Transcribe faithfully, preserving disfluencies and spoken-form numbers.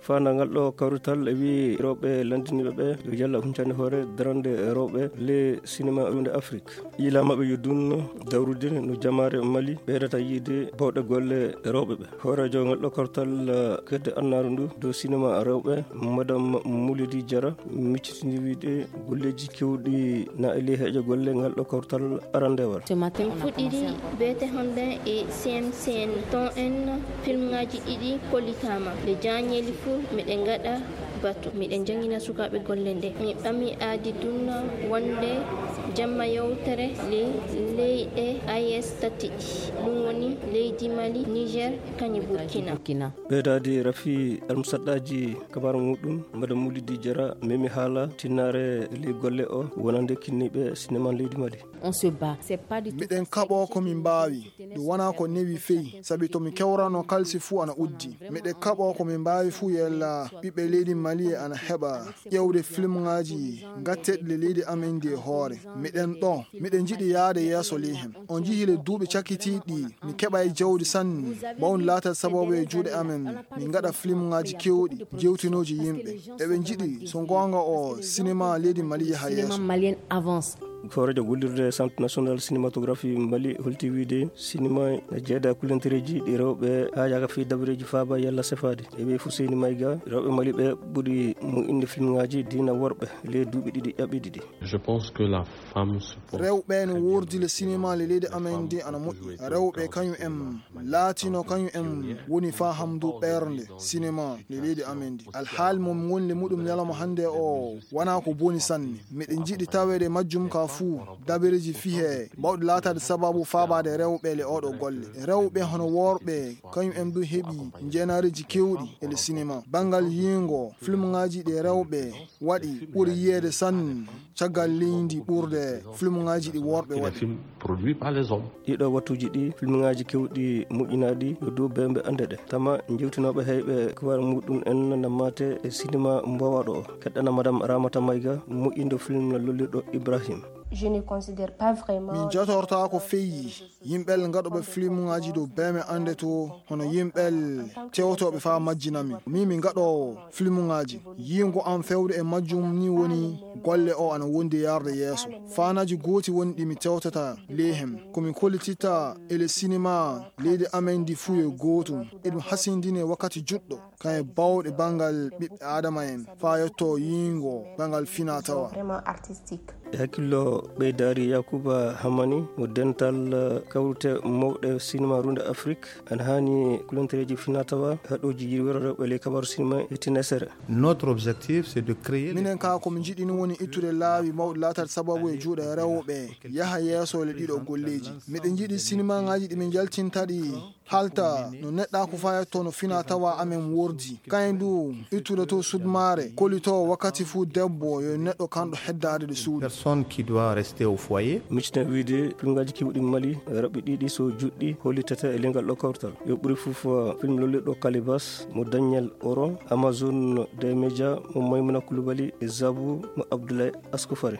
Faandangal ɗo kawrital e wi'i rewɓe lanndiniiɓe ɓe yo yalla huncande hoore darande rewɓe le sinema runde Afrik. Yiila maɓɓe yo dunno dawrude no jamaare Mali ɓeydata yiide bawɗe golle rewɓe ɓe. Hooreejo ngal ɗo kawrital kedde annaaru ndu dow sinema rewɓe, Madame Moulidi Diarra, miccitini wiide golleeji kewɗi na e ley heejo golle ngal ɗo kawrital arandewal. Min fuɗɗiri beete honde e C M C N ton en filmŋaaji ɗiɗi kollitaama. Nde jaañeeli fuu miɗen ngaɗa batu, miɗen janngina sukaaɓe golle nde. Mi ɓami aadi dunna wonde jamma yewtere le leyɗe A E S tati ɗi, ɗum woni leydi Mali, Niger, kañum Burkina. Ɓeydaade rafi almusaɗɗaaji kabaru muɗum, Madame Moulidi Diarra memi haala tinnaare ley golle o wonande kinniiɓe sinema leydi Mali. On se bat. C'est pas du tout miɗen kaɓo ko min mbaawi. Ɗum wona ko newi feyi, sabi to mi kewrano kalsi fuu ana uddi. Miɗen kaɓo ko min mbaawi fuu yella ɓiɓɓe leydi Mali e ana heɓa ƴeewde filmŋaaji gatteɗi le leydi amen ndi e hoore. Miɗen ɗo, miɗen njiɗi yaade yeeso ley hen. On njihi le duuɓi cakkitiiɗi mi keɓa e jawdi sanne, mawni laatal sababu e juuɗe amen. Min ngaɗa filmŋaaji kewɗi, jewtinooji yimɓe. Eɓe njiɗi, so goonga o, sinema leydi Mali yaha yeeso. Malien avance. Hooreejo gollirde Centre National Cinématographie Mali holti wiide sinema ne jeeda kulantereeji ɗi rewɓe haa yaaka fii dabareeji faaba yalla sefaade. E wi'i Fuseyni Mayga, rewɓe Mali ɓe ɓuri moƴƴinde filmŋaaji diina worɓe ley duuɓi ɗiɗi ƴaɓɓiiɗi ɗi. Je pense que la femme se porte rewɓe no wordi le sinema le leydi amen ndi ana moƴƴi. Rewɓe kañum en laatino kañum en woni faa hamdu ɓernde sinema le leydi amen ndi. Alhaali mo min ngoni le muɗum ñalawma hannde o wona ko boni sanne. Miɗen njiɗi taweede majjum ka fuu dabareeji fihe bawɗi laataade sababu faabaade rewɓe le oɗo golle. Rewɓe hono worɓe kañum en du heɓi njeenareeji kewɗi e le sinema. Banngal yiingo filmŋaaji ɗi rewɓe waɗi ɓuri yiyeede sanne caggal leydi ɓurde filmŋaaji ɗi worɓe waɗi. Des films produits par les hommes. Ɗiɗo wattuuji ɗi filmŋaaji kewɗi moƴƴinaaɗi yo dow beembe annde ɗe. Tama jewtinooɓe heyɓe kibaar muɗum en na maate e sinema mbowaaɗo o. Keɗɗana Madame Ramata Mayga moƴƴindo film lollirɗo Ibrahim. Je ne considère pas vraiment. Min jatortaako feyi yimɓel ngaɗooɓe filmuŋaaji dow beembe annde to hono yimɓel tewtooɓe faa majjina min. Min mi ngaɗoowo filmuŋaaji. Yiingo am fewde e majjum ni woni golle o ana wondi yarde yeeso. Faanaaji gooti woni ɗi mi tewtata ley hen. Ko mi kollititta e le sinema leydi amen ndi fuu yo gootum. Eɗum hasindine wakkati juɗɗo. Kañum bawɗe banngal ɓiɓɓe Aadama en faa yetto yiingo banngal finaa tawa. Vraiment artistique. E hakkillo ɓeydaari Yakuba Hamani mo dental kawrite mawɗe sinema runde Afrik, ana haani kulantereeji finaa tawa haɗooji yirwere rewɓe ley kabaru sinema e tinesere. Notre objectif, c'est de créer. Minen ka ko min njiɗi ni woni ittude laawi mawɗi laatal sababu e juuɗe rewɓe yaha yeeso le ɗiɗo golleeji. Miɗen njiɗi sinemaŋaaji ɗi min njaltinta ɗi halta no neɗɗaaku fayatto no finaa tawa amen wordi. Kayen du ittude to sudmaare, kolito wakkati fuu debbo yo neɗɗo kanɗo heddaade ɗo suudu. Personne qui doit rester au foyer. Miccita wiide filmŋaaji kewɗi Mali, raɓɓi ɗiɗi so juɗɗi hollitata e lengal ɗo kawtal. Yo ɓuri fof film lollirɗo Kalibas mo Daniel Oro, Amazon des Médias mo Maymuna Kulubali e Zabu mo Abdoulaye Askofari.